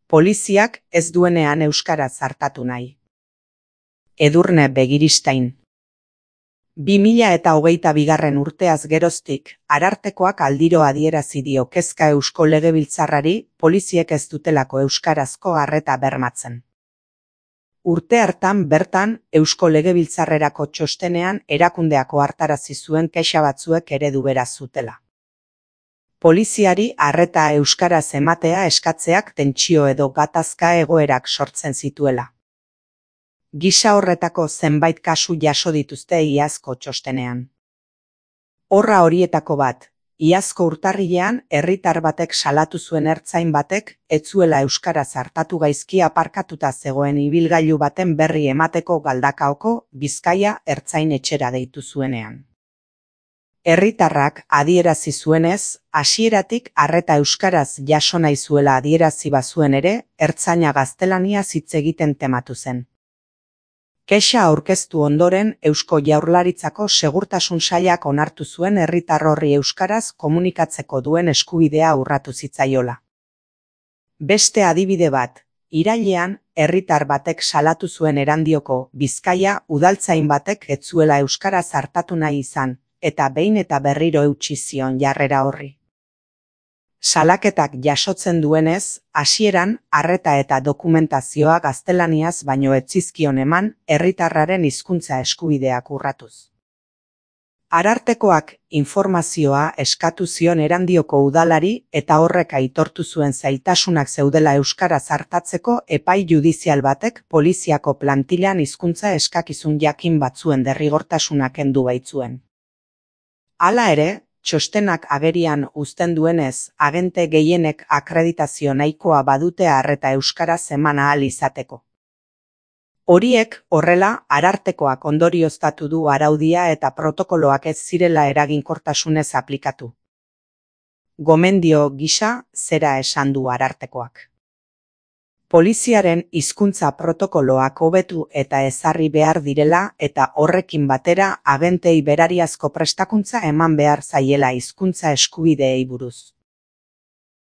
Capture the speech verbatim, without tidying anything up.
Poliziak ez duenean euskaraz artatu nahi. Edurne Begiristain. bi mila eta hogeita bigarren urteaz geroztik, Arartekoak aldiro adierazi dio kezka Eusko Legebiltzarrari poliziek ez dutelako euskarazko arreta bermatzen. Urte hartan bertan Eusko Legebiltzarrerako txostenean erakundeak ohartarazi zuen kexa batzuek eredu bera zutela. Poliziari arreta euskaraz ematea eskatzeak tentsio edo gatazka egoerak sortzen zituela. Gisa horretako zenbait kasu jaso dituzte iazko txostenean. Horra horietako bat, iazko urtarrilean herritar batek salatu zuen ertzain batek ez zuela euskaraz artatu gaizki aparkatuta zegoen ibilgailu baten berri emateko Galdakaoko Bizkaia ertzain etxera deitu zuenean. Herritarrak adierazi zuenez, hasieratik arreta euskaraz jaso nahi zuela adierazi bazuen ere, ertzaina gaztelaniaz hitz egiten tematu zen. Kexa aurkeztu ondoren Eusko Jaurlaritzako Segurtasun Sailak onartu zuen herritar horri euskaraz komunikatzeko duen eskubidea urratu zitzaiola. Beste adibide bat, irailean herritar batek salatu zuen Erandioko Bizkaia udaltzain batek ez zuela euskaraz artatu nahi izan, eta behin eta berriro eutsi zion jarrera horri. Salaketak jasotzen duenez, hasieran arreta eta dokumentazioa gaztelaniaz baino ez zizkion eman herritarraren hizkuntza eskubideak urratuz. Arartekoak informazioa eskatu zion Erandioko udalari eta horrek aitortu zuen zailtasunak zeudela euskaraz artatzeko epai judizial batek poliziako plantilan hizkuntza eskakizun jakin batzuen derrigortasuna kendu baitzuen. Hala ere, txostenak agerian uzten duenez, agente gehienek akreditazio nahikoa badute arreta euskaraz eman ahal izateko. Horiek, horrela, Arartekoak ondorioztatu du araudia eta protokoloak ez zirela eraginkortasunez aplikatu. Gomendio gisa, zera esan du Arartekoak. Poliziaren hizkuntza protokoloak hobetu eta ezarri behar direla eta horrekin batera agentei berariazko prestakuntza eman behar zaiela hizkuntza eskubideei buruz.